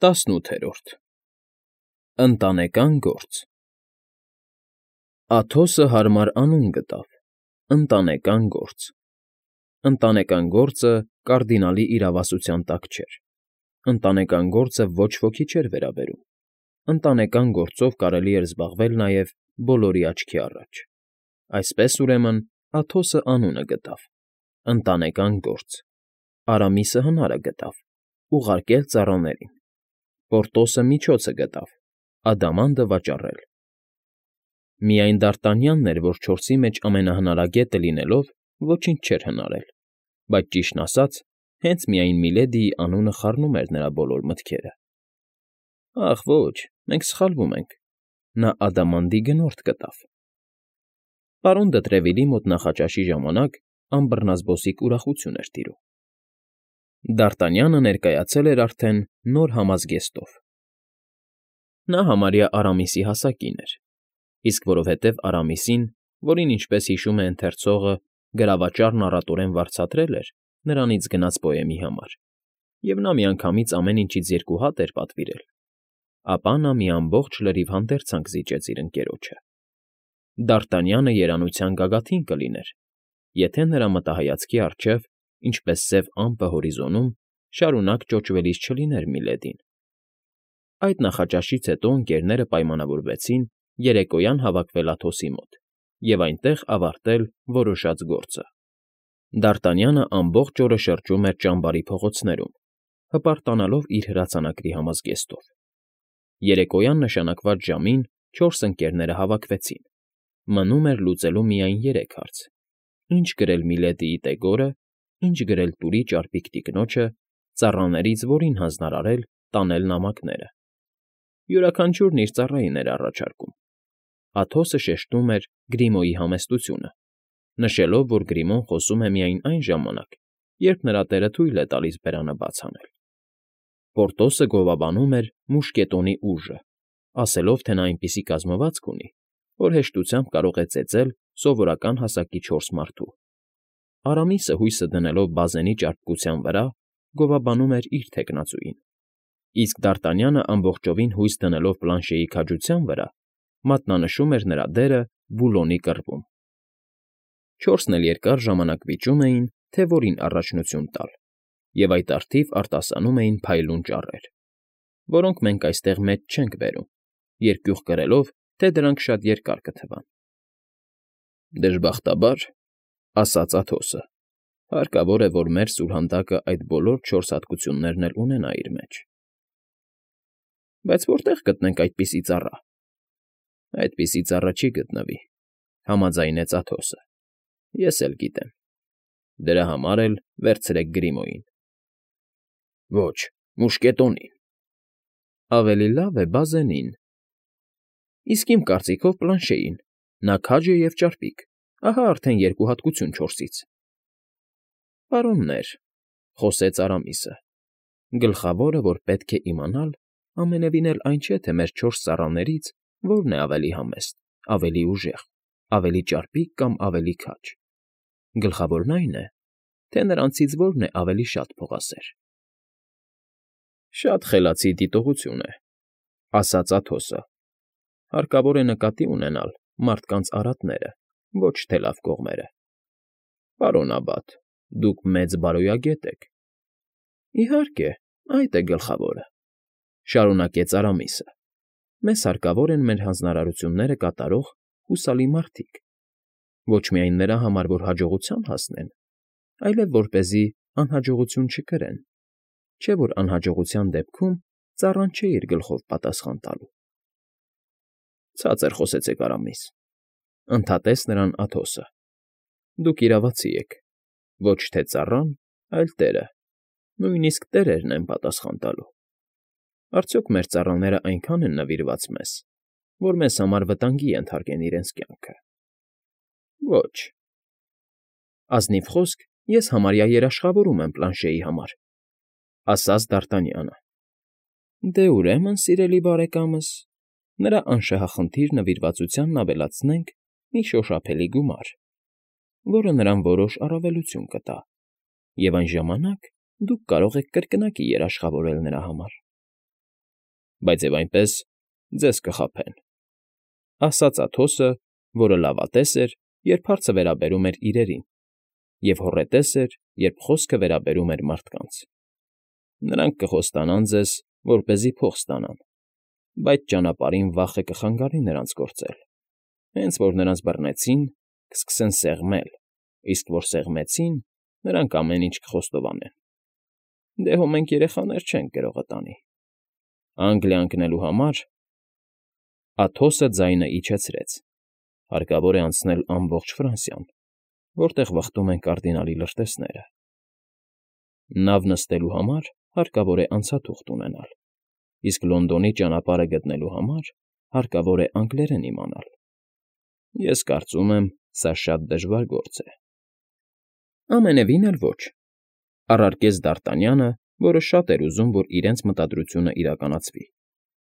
ՏԱՍՆՈՒԹԵՐՈՐԴ ԸՆՏԱՆԵԿԱՆ ԳՈՐԾ Աթոսը հարմար անուն գտավ՝ «Ընտանեկան գործ»։ Ընտանեկան գործը կարդինալի իրավասության տակ չէր, ընտանեկան գործը ոչ ոքի չէր վերաբերում, ընտանեկան գործով կարելի էր զբաղվել նաև բոլորի աչքի առաջ։ Այսպես, ուրեմն, Աթոսը անունը գտավ՝ «Ընտանեկան գործ», Արամիսը հնարը գտավ՝ ուղարկել ծառաներին, Պորտոսը միջոցը գտավ՝ ադամանդը վաճառել։ Միայն Դարտանյանն էր, որ չորսի մեջ ամենահնարագետը լինելով, ոչինչ չէր հնարել, բայց, ճիշտն ասած, հենց միայն Միլեդիի անունը խառնում էր նրա բոլոր մտքերը։ Ախ ոչ, մենք սխալվում ենք, նա ադամանդի գնորդ գտավ։ Պարոն դը Տրևիլի մոտ նախաճաշի ժամանակ անբռնազբոսիկ ուրախություն էր տիրում։ Դարտանյանը ներկայացել էր արդեն նոր համազգեստով։ Նա համարյա Արամիսի հասակին էր, իսկ որովհետև Արամիսին, որին, ինչպես հիշում է ընթերցողը, գրավաճառն առատորեն վարձատրել էր նրանից գնած պոեմի համար, և նա միանգամից ամեն ինչից 2 հատ էր պատվիրել, ապա նա մի ամբողջ լրիվ հանդերձանք զիջեց իր ընկերոջը։ Դարտանյանը երանության գագաթին կլիներ, եթե նրա մտահայացքի առջև, ինչպես սև ամպը հորիզոնում, շարունակ ճոճվելիս չլիներ Միլեդին։ Այդ նախաճաշից հետո ընկերները պայմանավորվեցին երեկոյան հավաքվել Աթոսի մոտ և այնտեղ ավարտել որոշած գործը։ Դարտանյանը ամբողջ օրը շրջում էր ճամբարի փողոցներում, հպարտանալով իր հրացանակի համազգեստով։ Երեկոյան նշանակված ժամին 4 ընկերները հավաքվեցին։ Մնում էր լուծելու միայն 3 հարց. ինչ գրել Միլեդիի տեգորը, ինչ գրել Տուրի ճարպիկ տիկնոջը, ծառաներից որին հանձնարարել տանել նամակները։ Յուրաքանչյուրն իր ծառային էր առաջարկում։ Աթոսը շեշտում էր Գրիմոյի համեստությունը, նշելով, որ Գրիմոն խոսում է միայն այն ժամանակ, երբ նրա տերը թույլ է տալիս բերանը բաց անել։ Պորտոսը գովաբանում էր մուշկետոնի ուժը, ասելով, թե նա այնպիսի կազմվածք ունի, որ հեշտությամբ կարող է ծեծել սովորական հասակի 4 մարդու։ Արամիսը, հույսը դնելով բազենի ճարպկության վրա, գովաբանում էր իր թեկնածուին, իսկ Դարտանյանը ամբողջովին հույս դնելով Պլանշեի քաջության վրա, մատնանշում էր նրա դերը Բուլոնի կռվում։ 4-ն էլ երկար ժամանակ վիճում էին, թե որին առաջնություն տալ, և այդ առթիվ արտասանում էին փայլուն ճառեր, որոնք մենք այստեղ մեծ չենք բերում, երկյուղ կրելով, թե դրանք շատ երկար կթվան։ Դժբախտաբար, ասաց Աթոսը, հարկավոր է, որ մեր սուրհանդակը այդ բոլոր 4 հատկություններն էլ ունենա իր մեջ։ Բայց որտե՞ղ գտնենք այդպիսի ծառա։ Այդպիսի ծառա չի գտնվի, համաձայնեց Աթոսը։ Ես էլ գիտեմ։ Դրա համար էլ վերցրեք Գրիմոյին։ Ոչ, մուշկետոնին։ Ավելի լավ է բազենին։ Իսկ իմ կարծիքով Պլանշեին, նա քաջ է և ճարպիկ, ահա արդեն 2 հատկություն 4-ից։ Պարոններ, խոսեց Արամիսը, գլխավորը, որ պետք է իմանալ, ամենևին էլ այն չէ, թե մեր 4 ծառաներից որն է ավելի համեստ, ավելի ուժեղ, ավելի ճարպիկ կամ ավելի քաջ։ Գլխավորն այն է, թե նրանցից որն է ավելի շատ փողասեր։ Շատ խելացի դիտողություն է, ասաց Աթոսը։ Հարկավոր է նկատի ունենալ մարդկանց արատները, ոչ թե լավ կողմերը։ Պարոն Աբբատ, դուք մեծ բարոյագետ եք։ Իհարկե, այդ է գլխավորը, շարունակեց Արամիսը։ Մեզ հարկավոր են մեր հանձնարարությունները կատարող հուսալի մարդիկ, ոչ միայն նրա համար, որ հաջողության հասնեն, այլև որպեսզի անհաջողություն չկրեն, չէ՞ որ անհաջողության դեպքում ծառան չէ իր գլխով պատասխան տալու։ Ցածր խոսեցեք, Արամիս, ընդհատեց նրան Աթոսը։ Դուք իրավացի եք, ոչ թե ծառան, այլ տերը, նույնիսկ տերերն են պատասխան տալու։ Արդյոք մեր ծառաները այնքան են նվիրված մեզ, որ մեզ համար վտանգի ենթարկեն իրենց կյանքը։ Ոչ։ Ազնիվ խոսք, ես համարյա երաշխավորում եմ Պլանշեի համար, ասաց Դարտանյանը։ Դե ուրեմն, սիրելի բարեկամս, նրա անշահախնդիր նվիրվածությանն ավելացնենք մի շոշափելի գումար, որը նրան որոշ առավելություն կտա, և այն ժամանակ դուք կարող եք կրկնակի երաշխավորել նրա համար։ բայց եւ այնպես ձեզ կխաբեն,֊ ասաց Աթոսը, որը լավատես էր, երբ հարցը վերաբերում էր իրերին, և հոռետես էր, երբ խոսքը վերաբերում էր մարդկանց. նրանք կխոստանան ձեզ, որպեսզի փող ստանան, բայց ճանապարհին վախը կխանգարի նրանց գործել, հենց որ նրանց բռնեցին, կսկսեն սեղմել, իսկ որ սեղմեցին, նրանք ամեն ինչ կխոստովանեն. դե հո մենք երեխաներ չենք գրողը տանի, Անգլիա ընկնելու համար… Աթոսը ձայնը իջեցրեց. հարկավոր է անցնել ամբողջ Ֆրանսիան, որտեղ վխտում են կարդինալի լրտեսները. նավ նստելու համար հարկավոր է անցաթուղթ ունենալ, իսկ Լոնդոնի ճանապարհը գտնելու համար հարկավոր է անգլերեն իմանալ. ես կարծում եմ, սա շատ դժվար գործ է։ Ամենևին էլ ոչ,֊ առարկեց Դ'Արտանյանը, որը շատ էր ուզում, որ իրենց մտադրությունը իրականացվի.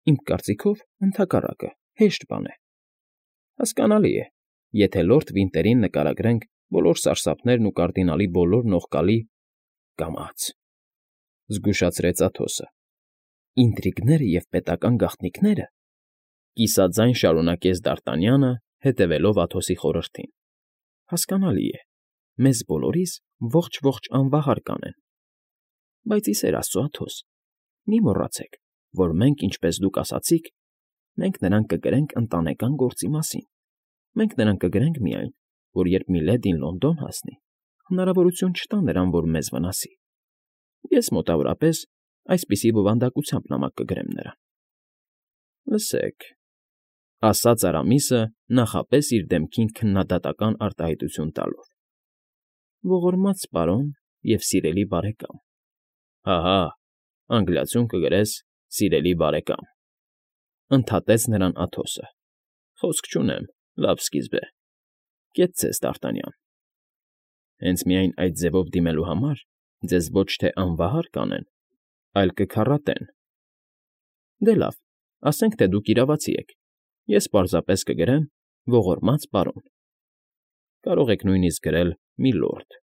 իմ կարծիքով, ընդհակառակը, հեշտ բան է։ Հասկանալի է, եթե լորդ Վինտերին նկարագրենք բոլոր սարսափներն ու կարդինալի բոլոր նողկալի… կամաց,֊ զգուշացրեց Աթոսը։ Ինտրիգները և պետական գաղտնիքները…֊ կիսաձայն շարունակեց Դ'Արտանյանը, հետևելով Աթոսի խորհրդին,֊ հասկանալի է, մեզ բոլորիս ողջ անվահար կանեն, բայց ի սեր Աստծո, Աթոս, մի մոռացեք, որ մենք, ինչպես դուք ասացիք, մենք նրան կգրենք ընտանեկան գործի մասին, մենք նրան կգրենք միայն, որ երբ Միլեդին Լոնդոն հասնի, հնարավորություն չտա նրան, որ մեզ վնասի, ես մոտավորապես այսպիսի բովանդակությամբ նամակ կգրեմ նրան։ Լսեք,֊ ասաց Արամիսը, նախապես իր դեմքին քննադատական արտահայտություն տալով,֊ ողորմած պարոն և սիրելի բարեկամ, հահա, անգլիացում կգրես սիրելի բարեկամ,֊ ընդհատեց նրան Աթոսը,֊ խոսք չունեմ, լավ սկիզբ է, կետ ձեզ, Դ'Արտանյան, հենց միայն այդ ձևով դիմելու համար ձեզ ոչ թե անվահար կանեն, այլ կքառատեն։ Դե լավ, ասենք թե դուք իրավացի եք, ես պարզապես կգրեմ ողորմած պարոն, կարող եք նույնիսկ գրել միլորդ,֊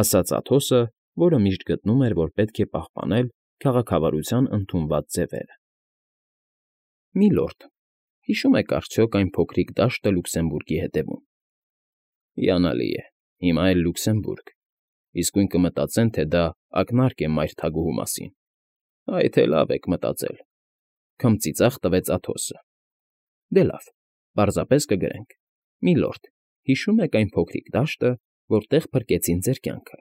ասաց Աթոսը, որը միշտ գտնում էր, որ պետք է պահպանել քաղաքավարության ընդունված ձևերը։ Միլորդ, հիշո՞ւմ եք արդյոք այն փոքրիկ դաշտը Լյուքսեմբուրգի հետևում։ Հիանալի է, հիմա էլ Լյուքսեմբուրգ, իսկույն կմտածեն, թե դա ակնարկ է մայր թագուհու մասին։ Այ թե լավ եք մտածել,֊ քմծիծաղ տվեց Աթոսը։ Դե լավ, պարզապես կգրենք. Միլորդ, հիշո՞ւմ եք այն փոքրիկ դաշտը, որտեղ փրկեցին ձեր կյանքը։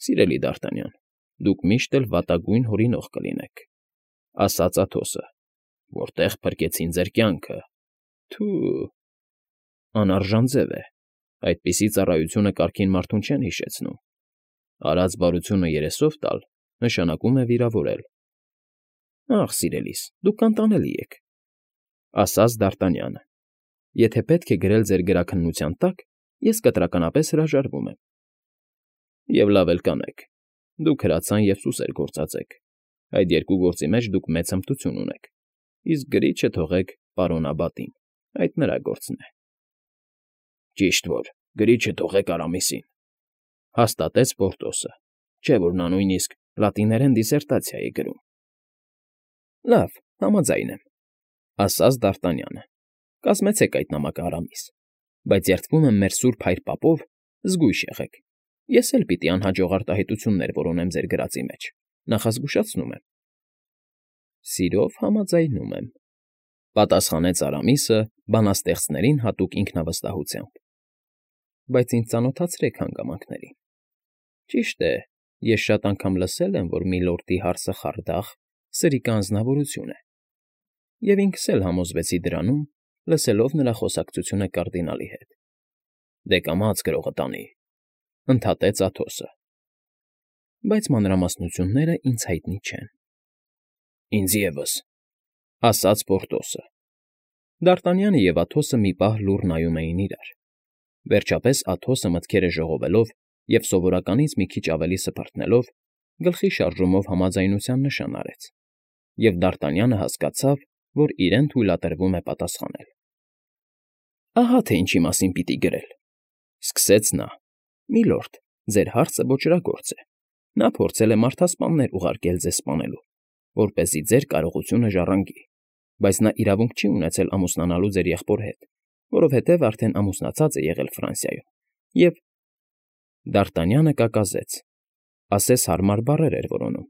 Սիրելի Դ'Արտանյան, դուք միշտ էլ վատագույն հորինող կլինեք,֊ ասաց Աթոսը,֊ որտեղ փրկեցին ձեր կյանքը… Թու… անարժան ձև է, այդպիսի ծառայությունը կարգին մարդուն չեն հիշեցնում, արած բարությունը երեսով տալ նշանակում է վիրավորել։ Ախ, սիրելիս, դուք անտանելի եք,֊ ասաց Դ'Արտանյանը,֊ եթե պետք է գրել ձեր գրաքննության տակ, ես կտրականապես հրաժարվում եմ։ Եվ լավ էլ կանեք, դուք հրացան և սուսեր գործածեք, այդ երկու գործի մեջ դուք մեծ հմտություն ունեք, իսկ գրիչը թողեք պարոն Աբատին, այդ նրա գործն է։ Ճիշտ որ, գրիչը թողեք Արամիսին,֊ հաստատեց Պորտոսը, չէ՞ որ նա նույնիսկ լատիներեն դիսերտացիա է գրում։ Լավ, համաձայն եմ,֊ ասաց Դ'Արտանյանը,֊ կազմեցեք այդ նամակը Արամիս, բայց երդվում եմ մեր սուրբ հայր պապով, զգույշ եղեք, ես էլ պիտի անհաջող արտահայտություններ որոնեմ ձեր գրածի մեջ, նախազգուշացնում եմ։ Սիրով համաձայնում եմ,֊ պատասխանեց Արամիսը բանաստեղծներին հատուկ ինքնավստահությամբ,֊ բայց ինձ ծանոթացրեք հանգամանքներին։ Ճիշտ է, ես շատ անգամ լսել եմ, որ Միլորդի հարսը խարդախ, սրիկա անձնավորություն է, և ինքս էլ համոզվեցի դրանում, լսելով նրա խոսակցությունը կարդինալի հետ։ Դե կամաց գրողը տանի,֊ ընդհատեց Աթոսը,֊ բայց մանրամասնությունները ինձ հայտնի չեն։ Ինձ ևս,֊ ասաց Պորտոսը։ Դ'Արտանյանը և Աթոսը մի պահ լուռ նայում էին իրար։ Վերջապես Աթոսը մտքերը ժողովելով և սովորականից մի քիչ ավելի սփռտնելով, գլխի շարժումով համաձայնության նշան արեց, և Դ'Արտանյանը հասկացավ, որ իրեն թույլատրվում է պատասխանել։ Ահա թե ինչի մասին պիտի գրել,֊ սկսեց նա,֊ Միլորդ, ձեր հարցը ոճրագործ է, նա փորձել է մարդասպաններ ուղարկել ձեզ սպանելու, որպեսզի ձեր կարողությունը ժառանգի, բայց նա իրավունք չի ունեցել ամուսնանալու ձեր եղբոր հետ, որովհետև արդեն ամուսնացած է եղել Ֆրանսիայում, և… Դ'Արտանյանը կակազեց, ասես հարմար բառեր էր որոնում,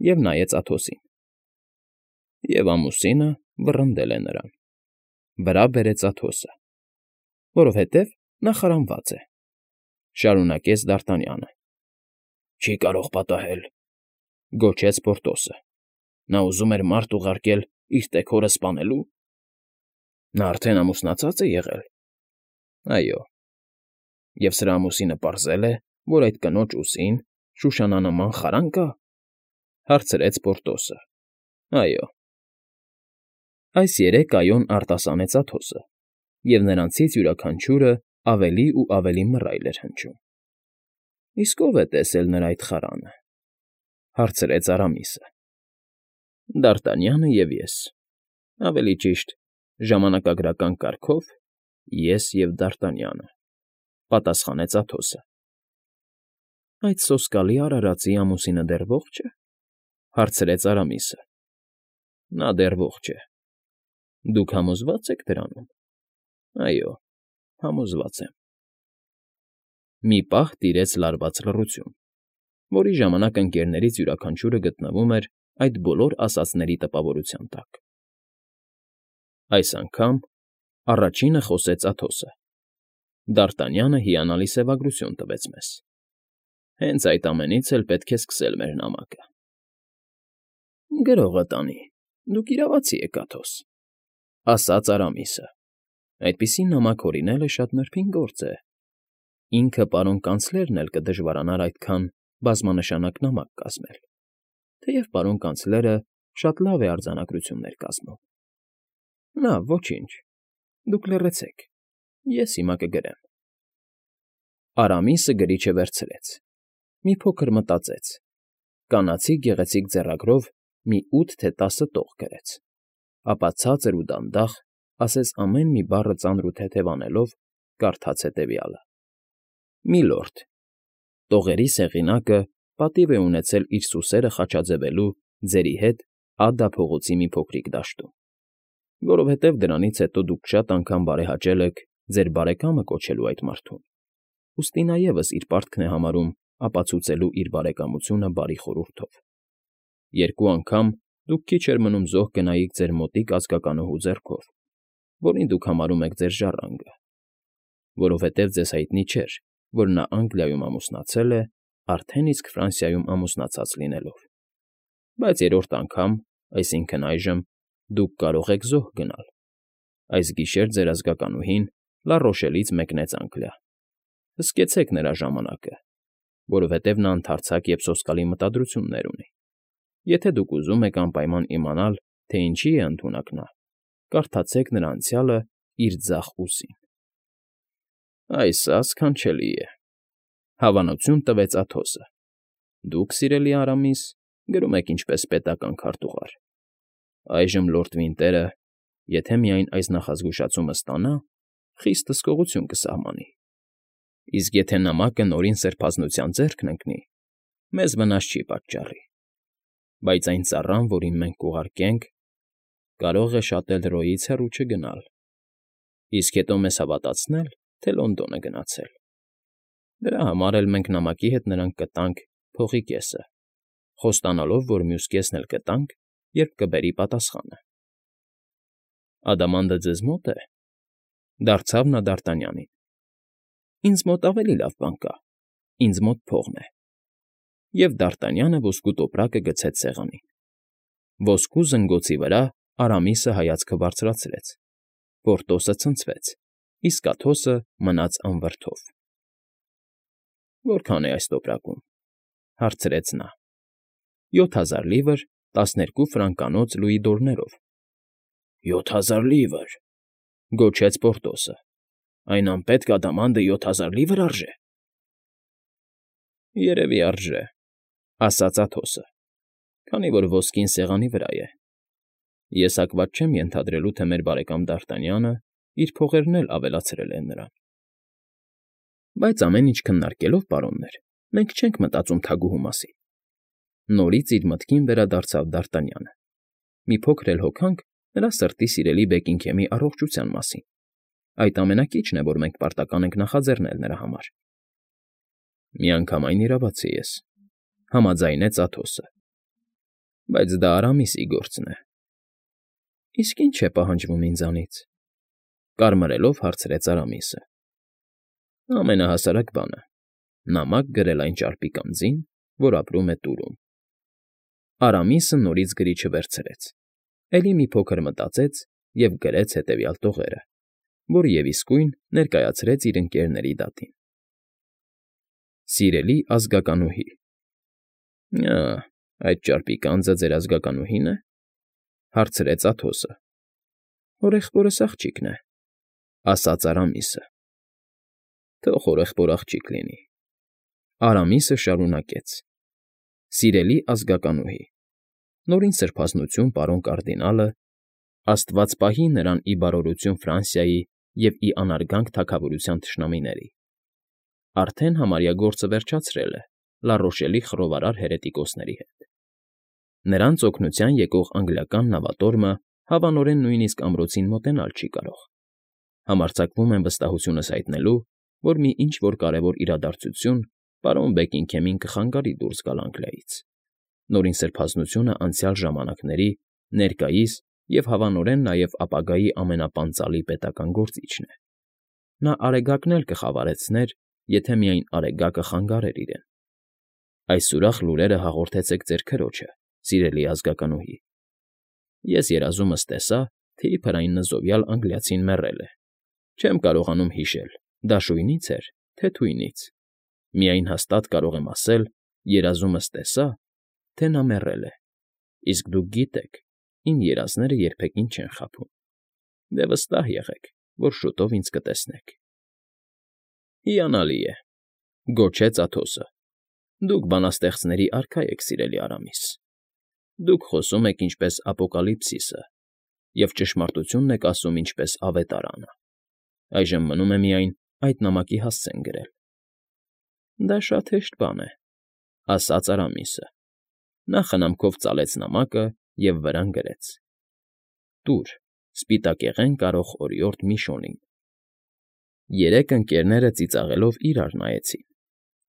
և նայեց Աթոսին։ Եվ ամուսինը վռնդել է նրան, վրա բերեց Աթոսը, որովհետև նա խարանված է, շարունակեց Դ'Արտանյանը։ Չի կարող պատահել, գոչեց Պորտոսը։ Նա ուզում էր մարդ ուղարկել իր տեքորը սպանելու։ Նա արդեն ամուսնացած է եղել։ Այո։ Եվ սրա ամուսինը պարզել է, որ այդ կնոջ ուսին շուշանանման խարան կա, հարցրեց Պորտոսը։ Այո։ Այս երեք այոն արտասանեց Աթոսը, և նրանցից յուրաքանչյուրը ավելի ու ավելի մռայլ էր հնչում։ Իսկ ո՞վ է տեսել նրա այդ խարանը, հարցրեց Արամիսը։ Դ'Արտանյանը և ես, ավելի ճիշտ, ժամանակագրական կարգով ես և Դ'Արտանյանը, պատասխանեց Աթոսը։ Այդ սոսկալի արարածի ամուսինը դեռ ողջ է, հարցրեց Արամիսը։ Նա դեռ ողջ է։ Դուք համոզվա՞ծ եք դրանում։ Այո, համոզված եմ։ Մի պահ տիրեց լարված լռություն, որի ժամանակ ընկերներից յուրաքանչյուրը գտնվում էր այդ բոլոր ասածների տպավորության տակ։ Այս անգամ առաջինը խոսեց Աթոսը։ Դ'Արտանյանը հիանալի սևագրություն տվեց մեզ։ Հենց այդ ամենից էլ պետք է սկսել մեր նամակը։ Գրողը տանի, դուք իրավացի եք, Աթոս, ասաց Արամիսը։ Այդպիսի նամակ հորինելը շատ նրբին գործ է։ Ինքը պարոն կանցլերն էլ կդժվարանար այդքան բազմանշանակ նամակ կազմել, թեև պարոն կանցլերը շատ լավ է արձանագրություններ կազմում։ Լավ, ոչինչ, դուք լռեցեք, ես հիմա կգրեմ։ Արամիսը գրիչը վերցրեց, մի փոքր մտածեց, կանացի գեղեցիկ ձեռագրով մի 8 թե 10 տող գրեց, ապա ցածր ու դանդաղ, ասես ամեն մի բառը ծանր ու թեթև անելով, կարդաց հետևյալը. Միլորդ, տողերի սեղինակը պատիվ է ունեցել իր սուսերը խաչաձևելու ձերի հետ Ադա փողոցի մի փոքրիկ դաշտում, որովհետև դրանից հետո դուք շատ անգամ բարեհաճել եք ձեր բարեկամը կոչելու այդ մարդուն, ուստի նա ևս իր պարտքն է համարում ապացուցելու իր բարեկամությունը բարի խորհուրդով։ 2 անգամ դուք քիչ էր մնում զոհ գնայիք ձեր մոտիկ ազգականուհու ձեռքով, որին դուք համարում եք ձեր ժառանգը, որովհետև ձեզ հայտնի չէր, որ նա Անգլիայում ամուսնացել է, արդեն իսկ Ֆրանսիայում ամուսնացած լինելով։ Բայց 3-րդ անգամ, այսինքն այժմ, դուք կարող եք զոհ գնալ։ Այս գիշեր ձեր ազգականուհին Լառոշելից մեկնեց Անգլիա։ Հսկեցեք նրա ժամանակը, որովհետև նա ընդարձակ և սոսկալի մտադրություններ ունի։ Եթե դուք ուզում եք անպայման իմանալ, թե ինչի է ընդունակ նա, կարդացեք նրա անցյալը իր ձախ ուսին։ Այս սքանչելի է, հավանություն տվեց Աթոսը։ Դուք, սիրելի Արամիս, գրում եք ինչպես պետական քարտուղար։ Այժմ լորդ Վինտերը, եթե միայն այս նախազգուշացումը ստանա, խիստ հսկողություն կսահմանի։ Իսկ եթե նամակը նորին սրբազնության ձեռքն ընկնի, մեզ վնաս չի պատճառի։ Բայց այն ծառան, որին մենք կուղարկենք, կարող է շատ էլ Ռոյից հեռու չգնալ, իսկ հետո մեզ հավատացնել, թե Լոնդոն է գնացել։ Դրա համար էլ մենք նամակի հետ նրան կտանք փողի կեսը, խոստանալով, որ մյուս կեսն էլ կտանք, երբ կբերի պատասխանը։ Ադամանդը ձեզ մո՞տ է, դարձավ նա Դ'Արտանյանին։ Ինձ մոտ ավելի լավ բան կա, ինձ մոտ փողն է։ Եվ Դ'Արտանյանը ոսկու տոպրակը գցեց սեղանին։ Ոսկու զնգոցի վրա Արամիսը հայացքը բարձրացրեց, Պորտոսը ցնցվեց, իսկ Աթոսը մնաց անվրդով։ Որքան է այս տոպրակում, հարցրեց նա։ 7000 լիվր 12 ֆրանկանոց լուի դորներով։ 7000 լիվր, գոչեց Պորտոսը։ Այն անպետք ադամանդը 7000 լիվր արժե։ Երևի արժե, ասաց Աթոսը, քանի որ ոսկին սեղանի վրա է։ Ես հակված չեմ ենթադրելու, թե մեր բարեկամ Դ'Արտանյանը իր փողերն էլ ավելացրել է նրան։ Բայց ամեն ինչ քննարկելով, պարոններ, մենք չենք մտածում թագուհու մասին։ Նորից իր մտքին վերադարձավ Դարտանյանը։ Մի փոքր էլ հոգանք նրա սրտի սիրելի Բեքինգհեմի առողջության մասին։ Այդ ամենակիչն է, որ մենք պարտական ենք նախաձեռնել նրա համար։ Միանգամայն իրավացի ես, համաձայնեց Աթոսը։ Բայց դա Արամիսի գործն է։ Իսկ ի՞նչ է պահանջվում ինձանից, կարմրելով հարցրեց Արամիսը։ Ամենահասարակ բանը՝ նամակ գրել այն ճարպիկ անձին, որ ապրում է Տուրում։ Արամիսը նորից գրիչը վերցրեց, էլի մի փոքր մտածեց և գրեց հետևյալ տողերը, որ և իսկույն ներկայացրեց իր ընկերների դատին։ Սիրելի ազգականուհի։ Այդ ճարպիկ անձը ձեր ազգականուհի՞ն է, հարցրեց Աթոսը։ Հորեղբորս աղջիկն է, ասաց Արամիսը։ Թող հորեղբոր աղջիկ լինի։ Արամիսը շարունակեց. Սիրելի ազգականուհի, նորին սրբազնություն պարոն կարդինալը, Աստված պահի նրան ի բարօրություն Ֆրանսիայի և ի անարգանք թագավորության թշնամիների, արդեն համարյա գործը վերջացրել է Լառոշելի խռովարար հերետիկոսների հետ։ Նրանց օգնության եկող անգլիական նավատորմը հավանորեն նույնիսկ ամրոցին մոտենալ չի կարող։ Համարձակվում եմ վստահությունս հայտնելու, որ մի ինչ֊որ կարևոր իրադարձություն պարոն Բեքինգհեմին կխանգարի դուրս գալ Անգլիայից։ Նորին սրբազնությունը անցյալ ժամանակների, ներկայիս և հավանորեն նաև ապագայի ամենապանծալի պետական գործիչն է։ Նա արեգակն էլ կխավարեցներ, եթե միայն արեգակը խանգարեր իրեն։ Այս ուրախ լուրերը հաղորդեցեք ձեր քրոջը, սիրելի ազգականուհի։ Ես երազումս տեսա, թե իբր այն նզովյալ անգլիացին մեռել է։ Չեմ կարողանում հիշել՝ դաշույնից էր, թե թույնից։ Միայն հաստատ կարող եմ ասել, երազումս տեսա, թե նա մեռել է։ Իսկ դուք գիտեք, իմ երազները երբևէ չեն խաբում։ Դե վստահ եղեք, որ շուտով ինձ կտեսնեք։ Հիանալի է, գոչեց Աթոսը։ Դուք բանաստեղծների արքա եք, սիրելի Արամիս։ Դուք խոսում եք ինչպես Ապոկալիպսիսը և ճշմարտությունն եք ասում ինչպես Ավետարանը։ Այժմ մնում է միայն այդ նամակի հասցեն գրել։ Դա շատ հեշտ բան է, ասաց Արամիսը։ Նա խնամքով ծալեց նամակը և վրան գրեց. Տուր, սպիտակեղեն կարող օրիորդ Միշոնին։ Երեք ընկերները ծիծաղելով իրար նայեցին։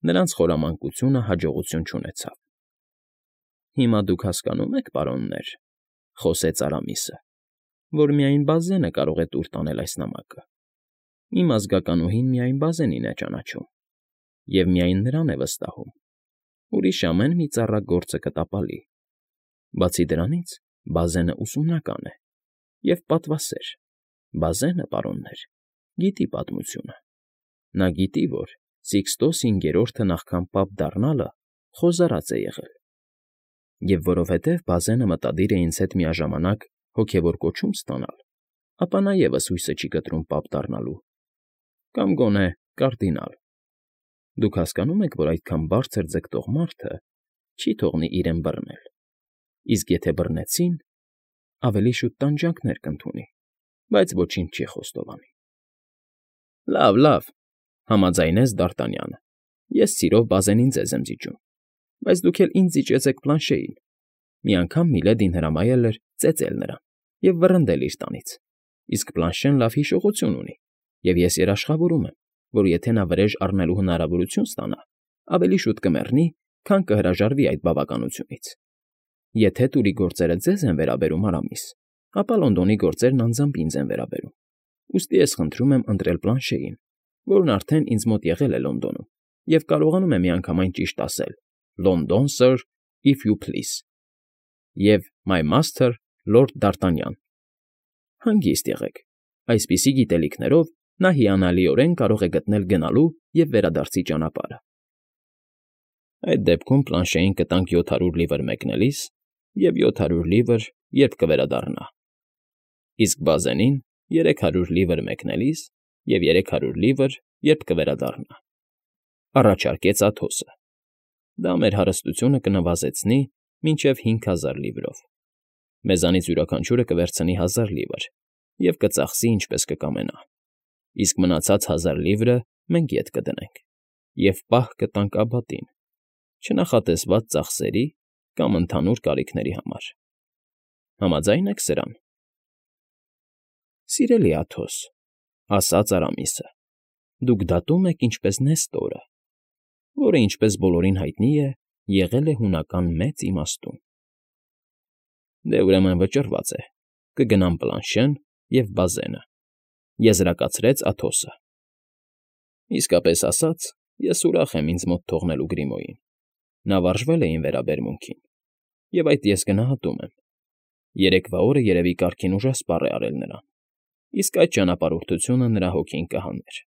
Նրանց խորամանկությունը հաջողություն չունեցավ։ Հիմա դուք հասկանում եք, պարոններ, խոսեց Արամիսը, որ միայն Բազենը կարող է տուր տանել այս նամակը։ Իմ ազգականուհին միայն Բազենին է ճանաչում և միայն նրան է վստահում։ Ուրիշ ամեն մի ծառա գործը կտապալի։ Բացի դրանից, Բազենը ուսումնական է և պատվասեր։ Բազենը, պարոններ, գիտի պատմությունը։ Նա գիտի, որ Սիկստոս հինգերորդը նախքան պապ դառնալը խոզարած է եղել։ Եվ որովհետև Բազենը մտադիր է ինձ հետ միաժամանակ հոգևոր կոչում ստանալ, ապա նա ևս հույսը չի կտրում պապ դառնալու, կամ գոնե կարդինալ։ Դուք հասկանում եք, որ այդքան բարձր ձգտող մարդը չի թողնի իրեն բռնել, իսկ եթե բռնեցին, ավելի շուտ տանջանքներ կընդունի, բայց ոչինչ չի խոստովանի։ Լավ, համաձայնեց Դարտանյանը։ Ես սիրով Բազենին ձեզ եմ զիջում, բայց դուք էլ ինձ զիջեցեք Պլանշեին։ Մի անգամ Միլեդին հրամայել էր ծեծել նրան և վռնդել իր տանից, իսկ Պլանշեն լավ հիշողություն ունի, և ես երաշխավորում եմ, որ եթե նա վրեժ առնելու հնարավորություն ստանա, ավելի շուտ կմեռնի, քան կհրաժարվի այդ բավականությունից։ Եթե տուրի գործերը ձեզ են վերաբերում, Արամիս, ապա Լոնդոնի գործերն անձամբ ինձ են վերաբերում։ Ուստի ես խնդրում եմ ընտրել Պլանշեին, որն արդեն ինձ մոտ եղել է Լոնդոնում և կարողանում է միանգամայն ճիշտ ասել. London, sir, if you please, և my master, Lord Դարտանյան։ Հանգիստ եղեք։ Այսպիսի գիտելիքներով նա հիանալիորեն կարող է գտնել գնալու և վերադարձի ճանապարհը։ Այդ դեպքում Պլանշեին կտանք 700 լիվր մեկնելիս և 700 լիվր, երբ կվերադառնա։ Իսկ Բազենին 300 լիվր մեկնելիս և 300 լիվր, երբ կվերադառնա, առաջարկեց Աթոսը։ Դա մեր հարստությունը կնվազեցնի մինչև 5000 լիվրով։ Մեզանից յուրաքանչյուրը կվերցնի 1000 լիվր և կծախսի ինչպես կկամենա։ Իսկ մնացած 1000 լիվրը մենք ետ կդնենք և պահ կտանք Աբատին, չնախատեսված ծախսերի կամ ընդհանուր կարիքների համար։ Համաձա՞յն եք սրան։ ֊ Սիրելի Աթոս,֊ ասաց Արամիսը,֊ դուք դատում եք ինչպես Նեստորը, որը, ինչպես բոլորին հայտնի է, եղել է հունական մեծ իմաստուն։ ֊ Դե, ուրեմն վճռված է, կգնամ Պլանշեն և բազենը,֊ եզրակացրեց Աթոսը։ ֊ Իսկապես ասած, ես ուրախ եմ ինձ մոտ թողնելու Գրիմոյին. նա վարժվել է իմ վերաբերմունքին, և այդ ես գնահատում եմ. երեկվա օրը երևի կարգին ուժասպառ է արել նրան, իսկ այդ ճանապարհորդությունը նրա հոգին կհաներ։